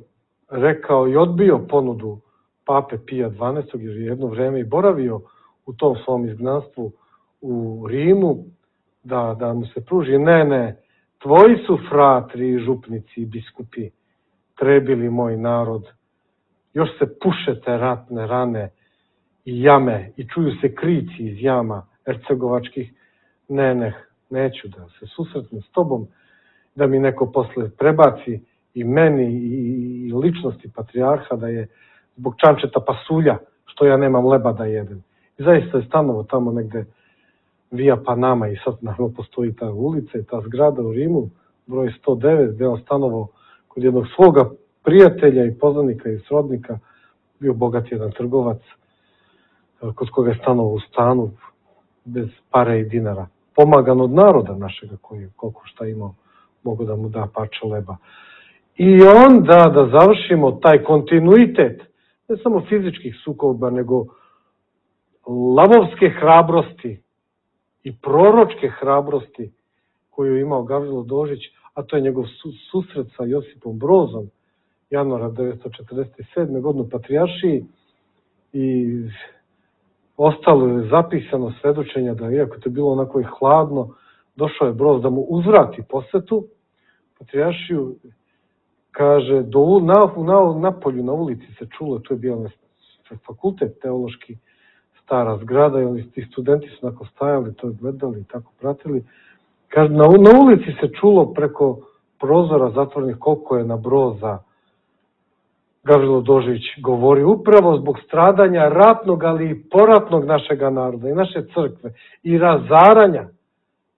rekao i odbio ponudu pape Pija XII, jer je jedno vreme i boravio u tom svom izgnanstvu u Rimu, da mu se pruži, ne, tvoji su fratri i župnici i biskupi trebili moj narod, još se puše te ratne rane i jame i čuju se krici iz jama, ercegovačkih, neću da se susretnem s tobom, da mi neko posle prebaci i meni i ličnosti patrijarha da je zbog čančeta pasulja, što ja nemam leba da jedem. I zaista je stanovo tamo negde Via Panama i sad naravno postoji ta ulica i ta zgrada u Rimu, broj 109, gde on stanovo kod jednog svoga prijatelja i poznanika i srodnika, bio bogat jedan trgovac, kod koga je stanovo u stanu bez pare i dinara. Pomagan od naroda našega koji je koliko šta imao, mogu da mu da parče leba. I onda da završimo taj kontinuitet, ne samo fizičkih sukoba, nego lavovske hrabrosti i proročke hrabrosti koju je imao Gavrilo Dožić, a to je njegov susret sa Josipom Brozom, januara 1947. godine u Patrijaršiji, i ostalo je zapisano svedočenja da, iako to je bilo onako i hladno, došao je Broz da mu uzvrati posetu Patrijaršiju. Kaže, napolju, na ulici se čulo, tu je bio fakultet teološki, stara zgrada, i ti studenti su onako stajali, to gledali i tako pratili. Kaže, na ulici se čulo preko prozora zatvorenih koliko je na Broza Gavrilo Dožić govori, upravo zbog stradanja ratnog, ali i poratnog našega naroda i naše crkve i razaranja,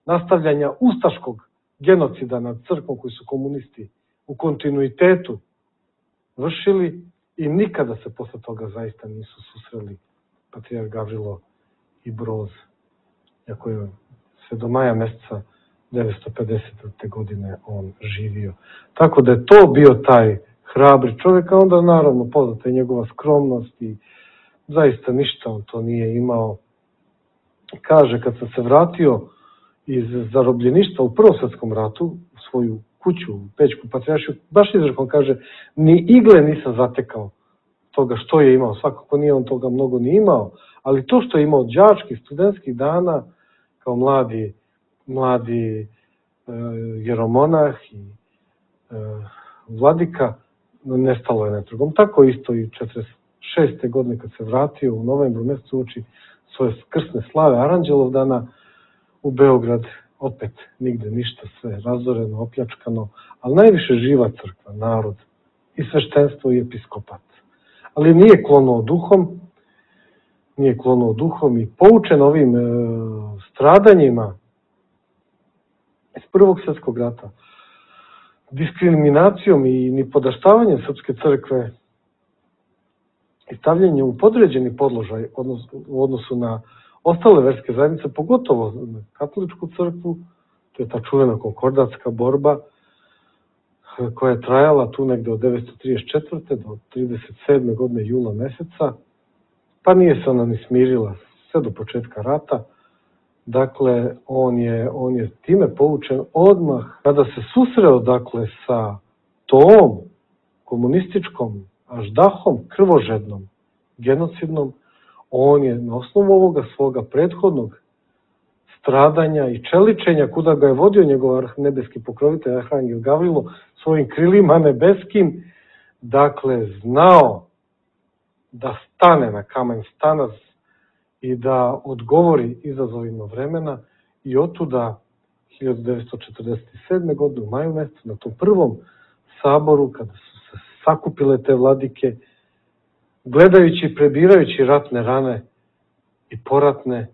nastavljanja ustaškog genocida nad crkvom koji su komunisti u kontinuitetu vršili, i nikada se posle toga zaista nisu susreli patrijarh Gavrilo i Broz, iako je sve do maja meseca 1950. godine on živio. Tako da je to bio taj hrabri čovjek, a onda naravno poznata je njegova skromnost i zaista ništa on to nije imao. Kaže, kad sam se vratio iz zarobljeništva u Prvom svjetskom ratu, u svoju kuću, u Pećku Patrijaršiju, baš izrekom kaže, ni igle nisam zatekao toga što je imao. Svakako nije on toga mnogo ni imao, ali to što je imao đačkih, studentskih dana, kao mladi jeromonah i vladika, nestalo je netragom. Tako isto i 1946. godine kad se vratio u novembru mjesecu uoči svoje krsne slave Aranđelovdana u Beograd, opet nigde ništa, sve razoreno, opljačkano, ali najviše živa crkva, narod i sveštenstvo i episkopat. Ali nije klonuo duhom i poučen ovim stradanjima iz Prvog svjetskog rata, diskriminacijom i nipodaštavanjem srpske crkve i stavljanje u podređeni položaj u odnosu na ostale verske zajednice, pogotovo na katoličku crkvu, to je ta čuvena konkordatska borba koja je trajala tu negde od 1934. do 1937. godine jula meseca, pa nije se ona ni smirila sve do početka rata. Dakle, on je time poučen odmah kada se susreo, dakle, sa tom komunističkom aždahom, krvožednom, genocidnom. On je na osnovu ovoga svoga prethodnog stradanja i čeličenja, kuda ga je vodio njegov nebeski pokrovitelj Arhangel Gavrilo svojim krilima nebeskim, dakle, znao da stane na kamen stanac i da odgovori izazovima vremena, i otuda 1947. godine u maju mjesecu na tom prvom saboru, kada su se sakupile te vladike, gledajući i prebirajući ratne rane i poratne,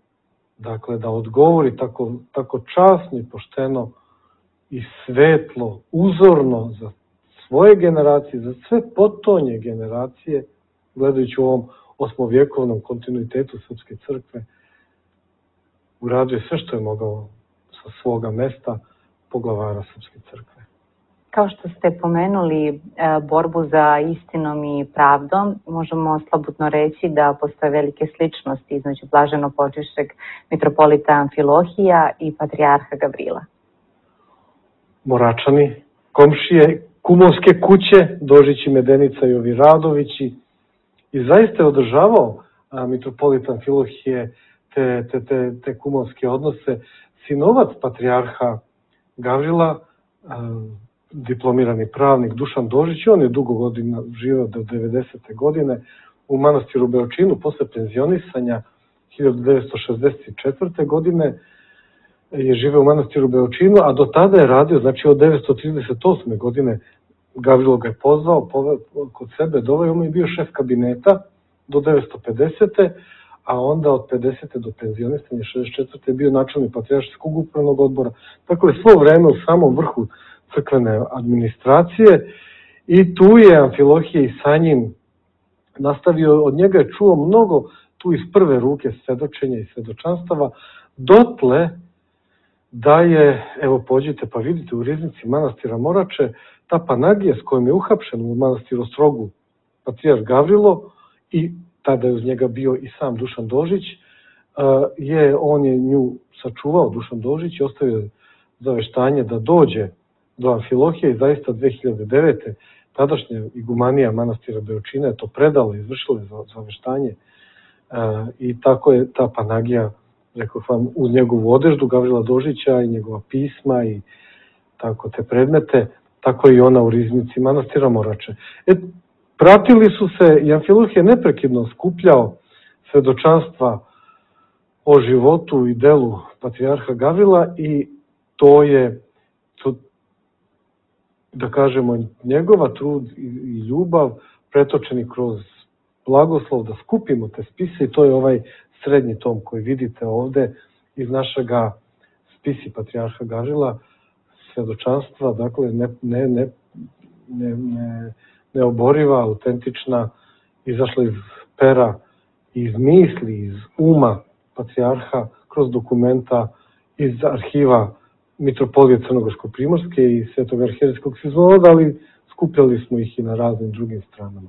dakle, da odgovori tako časno i pošteno i svetlo, uzorno za svoje generacije, za sve potonje generacije, gledajući u ovom osmovjekovnom kontinuitetu srpske crkve, uradio sve što je mogao sa svoga mesta poglavara srpske crkve. Kao što ste pomenuli borbu za istinom i pravdom, možemo slobodno reći da postoje velike sličnosti između blaženopočivšeg mitropolita Amfilohija i patrijarha Gavrila. Moračani, komšije, kumovske kuće, Dožić i Medenica i ovi Radovići, i zaista je održavao mitropolit Amfilohije te kumovske odnose. Sinovac patrijarha Gavrila, diplomirani pravnik Dušan Dožić, on je dugo godina živeo do 90. godine u manastiru Beočinu, posle penzionisanja 1964. godine je živeo u manastiru Beočinu, a do tada je radio, znači od 1938. godine Gavrilo ga je pozvao kod sebe, doveo mu je bio šef kabineta do 1950. A onda od 50. do penzionistanja 64. je bio načelnik patrijaršijskog upravnog odbora. Tako je svo vreme u samom vrhu crkvene administracije i tu je Amfilohije i sa njim nastavio, od njega je čuo mnogo tu iz prve ruke svedočenja i svedočanstava, dotle da je, evo pođite pa vidite u riznici manastira Morače, ta Panagija s kojom je uhapšen u manastiru Ostrogu patrijarh Gavrilo i tada je uz njega bio i sam Dušan Dožić, on je nju sačuvao, Dušan Dožić, i ostavio zaveštanje da dođe do Amfilohije i zaista 2009. tadašnja igumanija manastira Beočina je to predala, izvršila zaveštanje i tako je ta Panagija, rekao vam, uz njegovu odeždu Gavrila Dožića i njegova pisma i tako te predmete, tako i ona u riznici manastira Morače. Pratili su se i Amfilohije neprekidno skupljao svedočanstva o životu i delu patrijarha Gavrila i to je, da kažemo, njegova trud i ljubav pretočeni kroz blagoslov da skupimo te spise i to je ovaj srednji tom koji vidite ovde iz našega spisi patrijarha Gavrila, svedočanstva, dakle neoboriva, autentična, izašla iz pera, iz misli, iz uma patrijarha, kroz dokumenta, iz arhiva Mitropolije Crnogorsko-Primorske i Svetog arhijerejskog sinoda, ali skupljali smo ih i na raznim drugim stranama.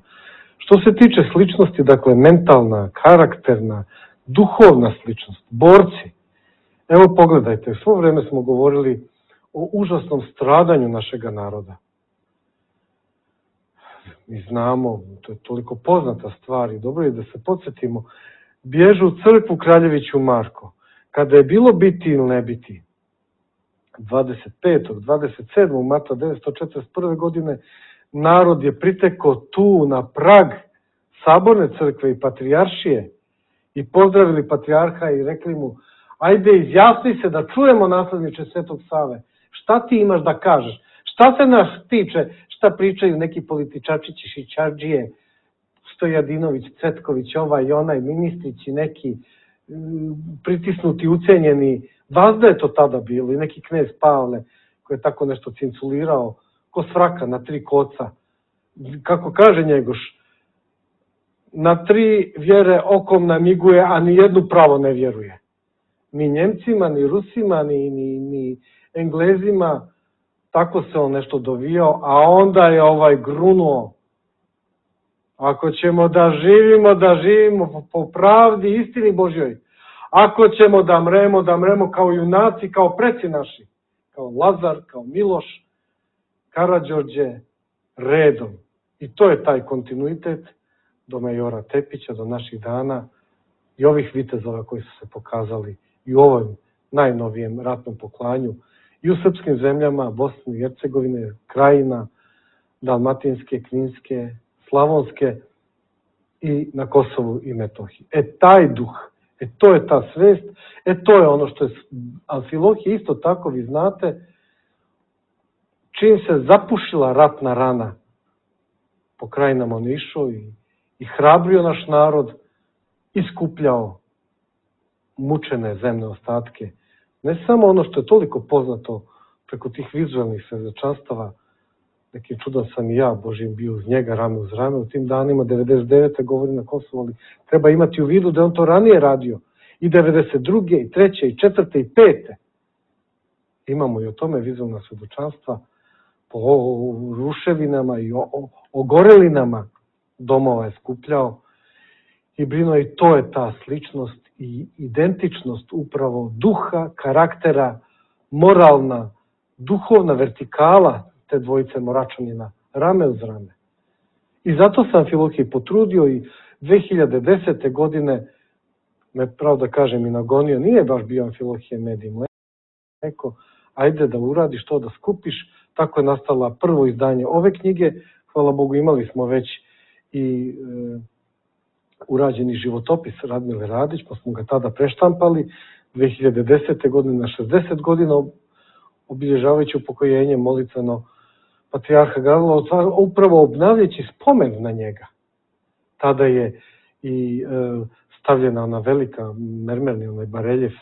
Što se tiče sličnosti, dakle mentalna, karakterna, duhovna sličnost, borci, evo pogledajte, svo vreme smo govorili o užasnom stradanju našega naroda. Mi znamo, to je toliko poznata stvar i dobro je da se podsjetimo, bježu u crkvu Kraljeviću Marko. Kada je bilo biti ili ne biti, 25. 27. marta 1941. godine, narod je pritekao tu na prag Saborne crkve i patrijaršije i pozdravili patrijarha i rekli mu, ajde izjasni se da čujemo, nasledniče Svetog Save, šta ti imaš da kažeš, šta se nas tiče, šta pričaju neki političačići, šićardžije, Stojadinović, Cvetković, ovaj i onaj, ministrići neki, pritisnuti, ucenjeni, vazda je to tada bilo, i neki knez Pavle koji je tako nešto cinculirao, ko svraka na 3 koca. Kako kaže Njegoš, na 3 vjere okom namiguje, a ni jednu pravo ne vjeruje. Ni Njemcima, ni Rusima, ni Englezima, tako se on nešto dovijao, a onda je ovaj grunuo. Ako ćemo da živimo po pravdi i istini Božjoj. Ako ćemo da mremo kao junaci, kao preci naši, kao Lazar, kao Miloš, Karađorđe, redom. I to je taj kontinuitet do majora Tepića, do naših dana i ovih vitezova koji su se pokazali i u ovom najnovijem ratnom poklanju i u srpskim zemljama, Bosne i Hercegovine, Krajina, Dalmatinske, Kninske, Slavonske i na Kosovu i Metohiji. Taj duh, to je ta svest, to je ono što je Amfilohije isto tako, vi znate, čim se zapušila ratna rana po krajinama on išao i hrabrio naš narod, iskupljao mučene zemne ostatke. Ne samo ono što je toliko poznato preko tih vizualnih svedočanstava, nekim čudom sam i ja, Božim, bio uz njega rame uz rame u tim danima, 99. govori na Kosovu, ali treba imati u vidu da on to ranije radio, i 92. i 3. i 4. i 5. Imamo i o tome vizualna svedočanstva po ruševinama i ogorelinama domova je skupljao i brinuo, i to je ta sličnost i identičnost upravo duha, karaktera, moralna, duhovna vertikala te dvojice Moračanina, rame uz rame. I zato sam Amfilohije potrudio i 2010. godine, me pravo da kažem i nagonio, nije baš bio Amfilohije med i mleko, ajde da uradiš to, da skupiš, tako je nastala prvo izdanje ove knjige, hvala Bogu imali smo već i urađeni životopis Radmile Radić, pa smo ga tada preštampali 2010. godine na 60 godina, obilježavajući upokojenje molitveno patrijarha Gavrila, upravo obnavljajući spomen na njega. Tada je i stavljena ona velika mermerni onaj bareljef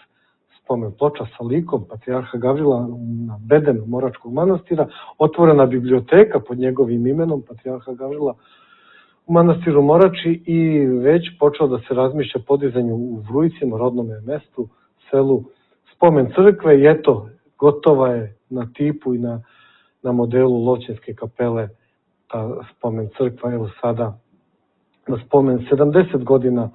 spomen ploča sa likom patrijarha Gavrila na bedenu Moračkog manastira, otvorena biblioteka pod njegovim imenom patrijarha Gavrila u manastiru Morači i već počeo da se razmišlja podizanju u Vrujcima, rodnome mestu, selu, spomen crkve i eto, gotova je na tipu i na modelu Lovćenske kapele ta spomen crkva, evo sada na spomen 70 godina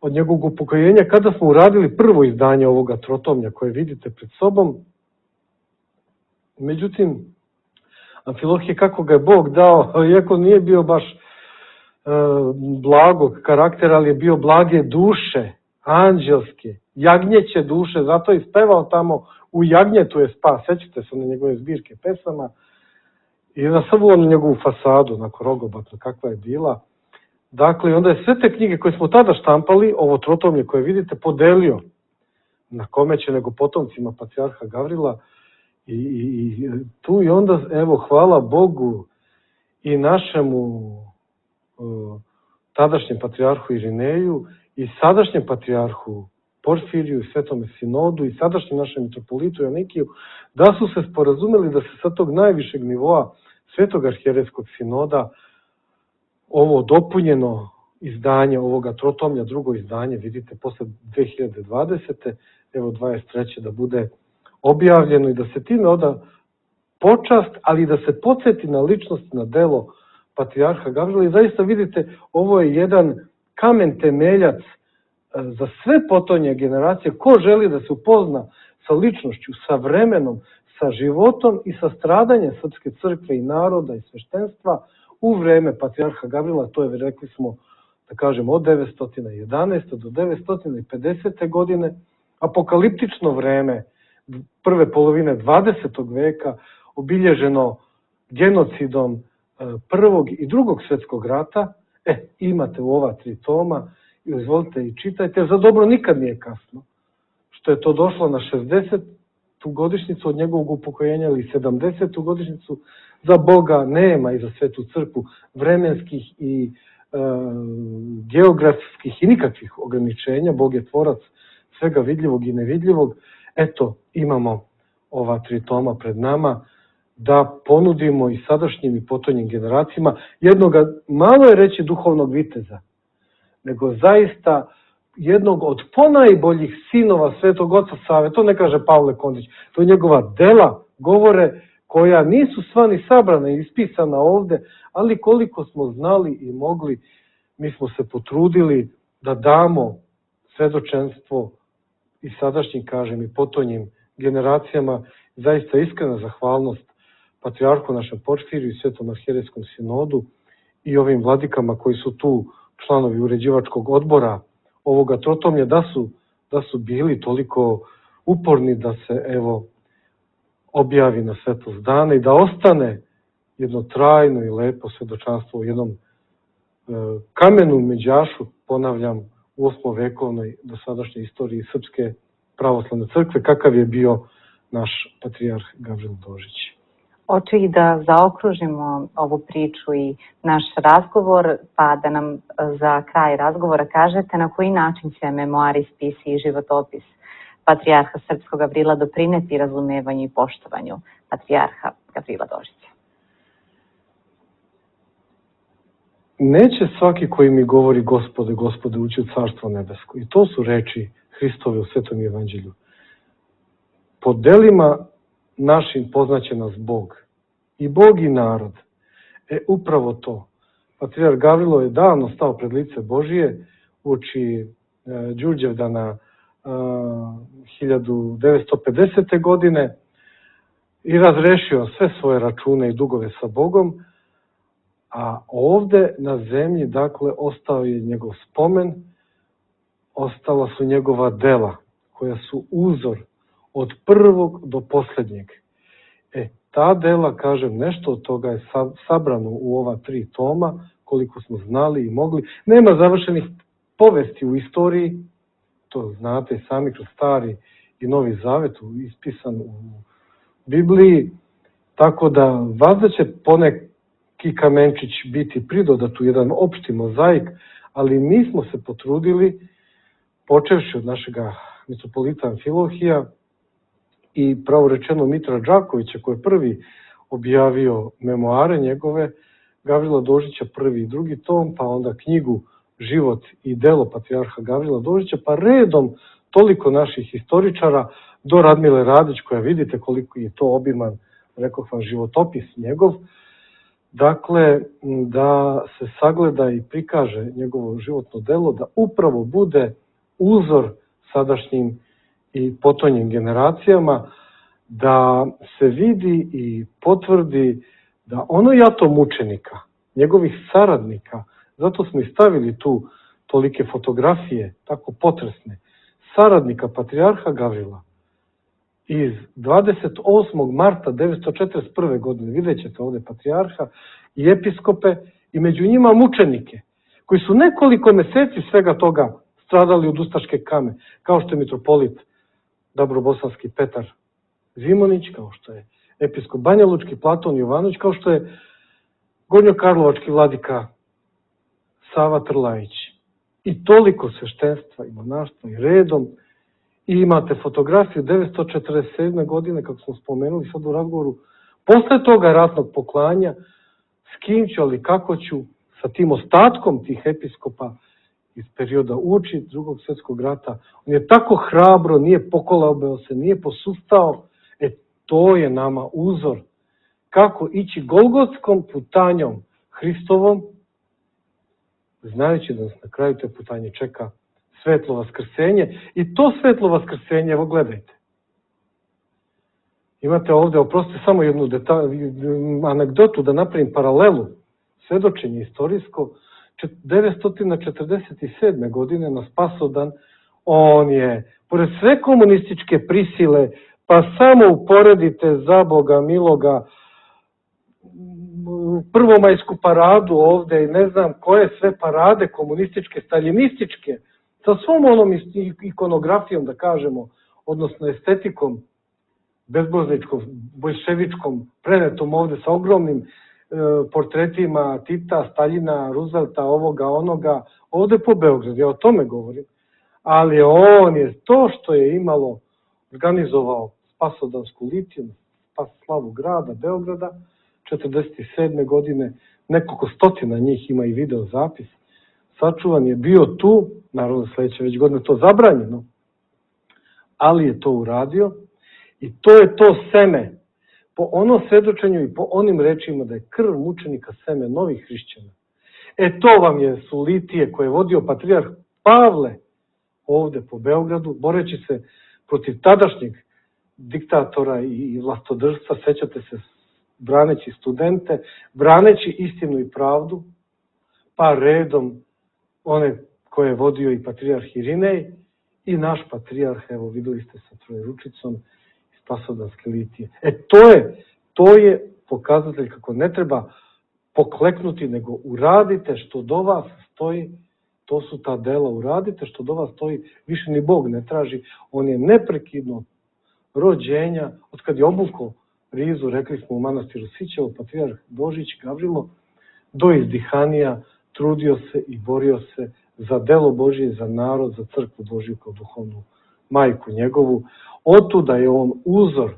od njegovog upokojenja, kada smo uradili prvo izdanje ovoga trotomlja koje vidite pred sobom. Međutim, Amfilohije, kako ga je Bog dao, iako nije bio baš blagog karaktera, ali je bio blage duše, anđelske, jagnjeće duše, zato je ispevao tamo u jagnjetu je spas, sećate se na njegove zbirke pesama, i nasrbuo na njegovu fasadu, onako rogobatno kakva je bila. Dakle, onda je sve te knjige koje smo tada štampali, ovo trotomlje koje vidite, podelio na kome će nego potomcima patrijarha Gavrila i tu i onda, evo, hvala Bogu i našemu tadašnjem patrijarhu Irineju i sadašnjem patrijarhu Porfiriju i Svetome Sinodu i sadašnjem našem mitropolitu Joanikiju, da su se sporazumeli da se sa tog najvišeg nivoa Svetog arhijerejskog sinoda ovo dopunjeno izdanje ovoga trotomlja, drugo izdanje, vidite, posle 2020. evo 23. da bude objavljeno i da se time oda počast, ali da se podsjeti na ličnost, na delo patrijarha Gavrila i zaista vidite, ovo je jedan kamen temeljac za sve potonje generacije. Ko želi da se upozna sa ličnošću, sa vremenom, sa životom i sa stradanjem srpske crkve i naroda i sveštenstva u vreme patrijarha Gavrila, to je, rekli smo, da kažemo, od 911. do 950. godine, apokaliptično vreme prve polovine 20. veka, obilježeno genocidom Prvog i Drugog svjetskog rata. Imate u ova 3 toma, i izvolite i čitajte, za dobro nikad nije kasno, što je to došlo na 60. godišnjicu od njegovog upokojenja ili 70. godišnjicu, za Boga nema i za Svetu crkvu vremenskih i geografskih i nikakvih ograničenja. Bog je tvorac svega vidljivog i nevidljivog. Eto, imamo ova 3 toma pred nama da ponudimo i sadašnjim i potonjim generacijama jednoga, malo je reći duhovnog viteza, nego zaista jednog od ponajboljih sinova Svetog Oca Save. To ne kaže Pavle Kondić, to je njegova dela, govore, koja nisu sva ni sabrana i ispisana ovde, ali koliko smo znali i mogli, mi smo se potrudili da damo svedočenstvo i sadašnjim, kažem, i potonjim generacijama. Zaista iskrena zahvalnost patrijarhu našem Porfiriju i Svetom arhijerejskom sinodu i ovim vladikama koji su tu članovi uređivačkog odbora ovoga trotomlja, da su bili toliko uporni da se, evo, objavi na svetlost dana i da ostane jedno trajno i lepo svedočanstvo u jednom kamenu međašu, ponavljam, u 8. vekovnoj dosadašnjoj istoriji Srpske pravoslavne crkve, kakav je bio naš patrijarh Gavril Božić. Hoću i da zaokružimo ovu priču i naš razgovor, pa da nam za kraj razgovora kažete na koji način će memoari, spisi i životopis patrijarha srpskog Gavrila doprineti razumevanju i poštovanju patrijarha Gavrila Dožića. Neće svaki koji mi govori Gospode, Gospode, ući u Carstvo nebesko. I to su reči Hristove u Svetom evanđelju. Po delima našim poznaće nas Bog. I Bog i narod. Upravo to. Patrijarh Gavrilo je davno stao pred lice Božije uoči Đurđevdana 1950. godine i razrešio sve svoje račune i dugove sa Bogom, a ovde na zemlji, dakle, ostao je njegov spomen, ostala su njegova dela, koja su uzor od prvog do posljednjeg. Ta dela, kažem, nešto od toga je sabrano u ova 3 toma, koliko smo znali i mogli. Nema završenih povesti u istoriji, to znate sami kroz Stari i Novi Zavet, ispisan u Bibliji, tako da vazda će poneki kamenčić biti pridodat u jedan opšti mozaik, ali mi smo se potrudili, počevši od našega mitropolita Amfilohija i pravo rečeno Mitra Đakovića, koji je prvi objavio memoare njegove, Gavrila Dožića prvi i drugi tom, pa onda knjigu Život i delo patrijarha Gavrila Dožića, pa redom toliko naših historičara do Radmile Radić, koja vidite koliko je to obiman, rekao vam, životopis njegov. Dakle, da se sagleda i prikaže njegovo životno delo, da upravo bude uzor sadašnjim i potonjim generacijama, da se vidi i potvrdi da ono jato mučenika, njegovih saradnika, zato smo i stavili tu tolike fotografije, tako potresne, saradnika patrijarha Gavrila iz 28. marta 1941. godine, vidjet ćete ovde patrijarha i episkope i među njima mučenike, koji su nekoliko meseci svega toga stradali od ustaške kame, kao što je mitropolit Dabrobosanski Petar Zimonić, kao što je episkop Banjalučki Platon Jovanović, kao što je gornjokarlovački vladika Sava Trlajić. I toliko sveštenstva i monaštva i redom. I imate fotografiju 1947. godine, kako smo spomenuli sad u razgovoru, posle toga ratnog poklanja, s kim ću, ali kako ću, sa tim ostatkom tih episkopa iz perioda uoči Drugog svjetskog rata. On je tako hrabro, nije pokolabao se, nije posustao. To je nama uzor kako ići golgotskom putanjom Hristovom, znajući da nas na kraju te putanje čeka svetlo vaskrsenje. I to svetlo vaskrsenje, evo gledajte. Imate ovde, oprostite, samo jednu anegdotu da napravim paralelu, svedočenje istorijsko. 1947. godine na Spasodan, on je, pored sve komunističke prisile, pa samo uporedite za Boga miloga prvomajsku paradu ovde i ne znam koje sve parade komunističke, staljinističke, sa svom onom ikonografijom, da kažemo, odnosno estetikom bezbožničkom, bolševičkom, prenetom ovde sa ogromnim portretima Tita, Staljina, Roosevelta, ovoga, onoga, ovde po Beogradu, ja o tome govorim. Ali on je to što je imalo, organizovao Spasodansku litiju, slavu grada, Beograda, 1947. godine, nekoliko stotina njih ima i video zapis, sačuvan je bio tu, naravno sledeće već godine to zabranjeno, ali je to uradio i to je to seme, po onom svedočenju i po onim rečima da je krv mučenika seme novih hrišćana. To vam su litije koje je vodio patrijarh Pavle ovde po Beogradu, boreći se protiv tadašnjeg diktatora i vlastodržstva, sećate se, braneći studente, braneći istinu i pravdu, pa redom one koje je vodio i patrijarh Irinej i naš patrijarh, evo videli ste sa Trojeručicom iz Spasodanske litije. To je pokazatelj kako ne treba pokleknuti, nego uradite što do vas stoji, to su ta dela, uradite što do vas stoji, više ni Bog ne traži, on je neprekidno rođenja, od kad je obukao rizu, rekli smo u manastiru Sićevo, patrijarh Božić Gavrilo, do izdihanija trudio se i borio se za delo Božije, za narod, za crkvu Božiju kao duhovnu majku njegovu. Otuda je on uzor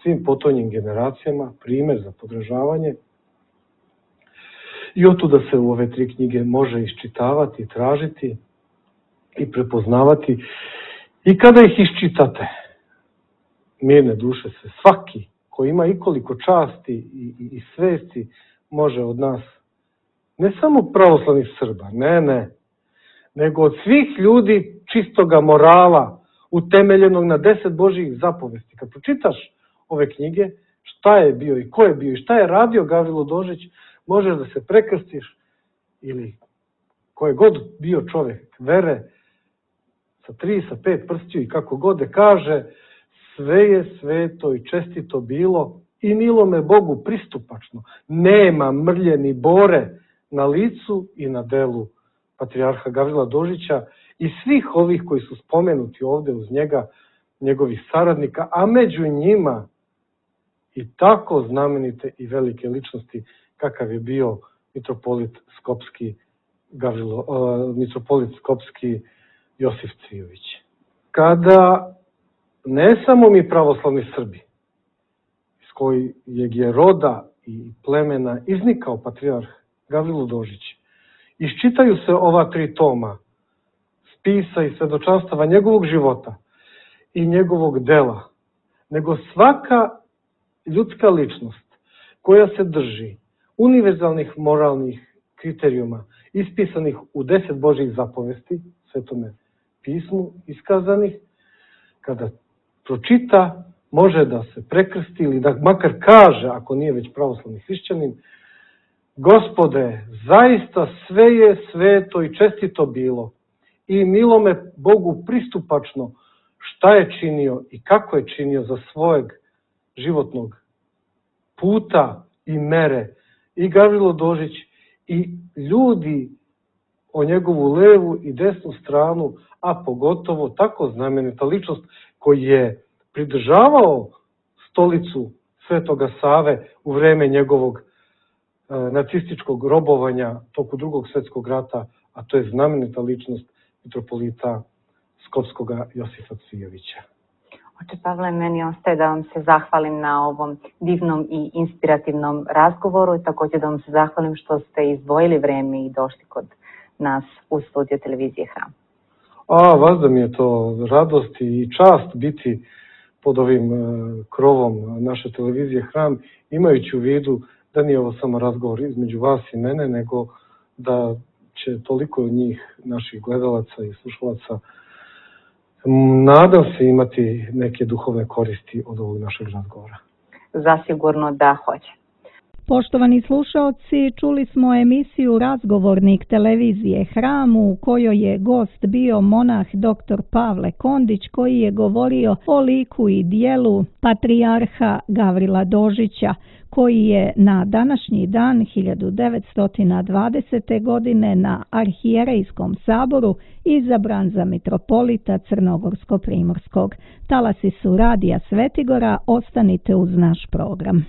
svim potonjim generacijama, primer za podržavanje. I otuda se u ove tri knjige može iščitavati, tražiti i prepoznavati. I kada ih iščitate, mirne duše se, svaki koji ima ikoliko časti i svesti može od nas, ne samo pravoslavnih Srba, ne, nego od svih ljudi čistoga morala, utemeljenog na 10 Božjih zapovesti. Kad pročitaš ove knjige, šta je bio i ko je bio i šta je radio Gavrilo Dožić, možeš da se prekrstiš ili ko je god bio čovek vere, sa 3, sa 5 prstiju i kako god da kaže, sve je sveto i čestito bilo i milo me Bogu pristupačno. Nema mrlje ni bore na licu i na delu patrijarha Gavrila Dožića i svih ovih koji su spomenuti ovde uz njega, njegovih saradnika, a među njima i tako znamenite i velike ličnosti kakav je bio mitropolit Skopski Josif Cvijović. Kada ne samo mi pravoslavni Srbi, iz kojeg je roda i plemena iznikao patrijarh Gavrilo Dožić, iščitaju se ova 3 toma spisa i svedočanstava njegovog života i njegovog dela, nego svaka ljudska ličnost koja se drži univerzalnih moralnih kriterijuma ispisanih u 10 Božjih zapovesti, Svetome pismu iskazanih, kada pročita, može da se prekrsti ili da makar kaže, ako nije već pravoslavni hrišćanin, Gospode, zaista sve je sveto i čestito bilo i milo me Bogu pristupačno šta je činio i kako je činio za svojeg životnog puta i mere i Gavrilo Dožić i ljudi o njegovu levu i desnu stranu, a pogotovo tako znamenita ličnost koji je pridržavao stolicu Svetoga Save u vreme njegovog nacističkog robovanja toku Drugog svjetskog rata, a to je znamenita ličnost mitropolita Skopskog Josifa Cvijovića. Oče Pavle, meni ostaje da vam se zahvalim na ovom divnom i inspirativnom razgovoru i također da vam se zahvalim što ste izdvojili vreme i došli kod nas u studio televizije Hram. Vas da mi je to radost i čast biti pod ovim krovom naše televizije Hram, imajući u vidu da nije ovo samo razgovor između vas i mene, nego da će toliko od njih, naših gledalaca i slušalaca, nadam se imati neke duhovne koristi od ovog našeg razgovora. Zasigurno da hoće. Poštovani slušaoci, čuli smo emisiju Razgovornik televizije Hram u kojoj je gost bio monah dr. Pavle Kondić koji je govorio o liku i dijelu patrijarha Gavrila Dožića koji je na današnji dan 1920. godine na Arhijerejskom saboru izabran za mitropolita Crnogorsko-primorskog. Talasi su Radija Svetigora, ostanite uz naš program.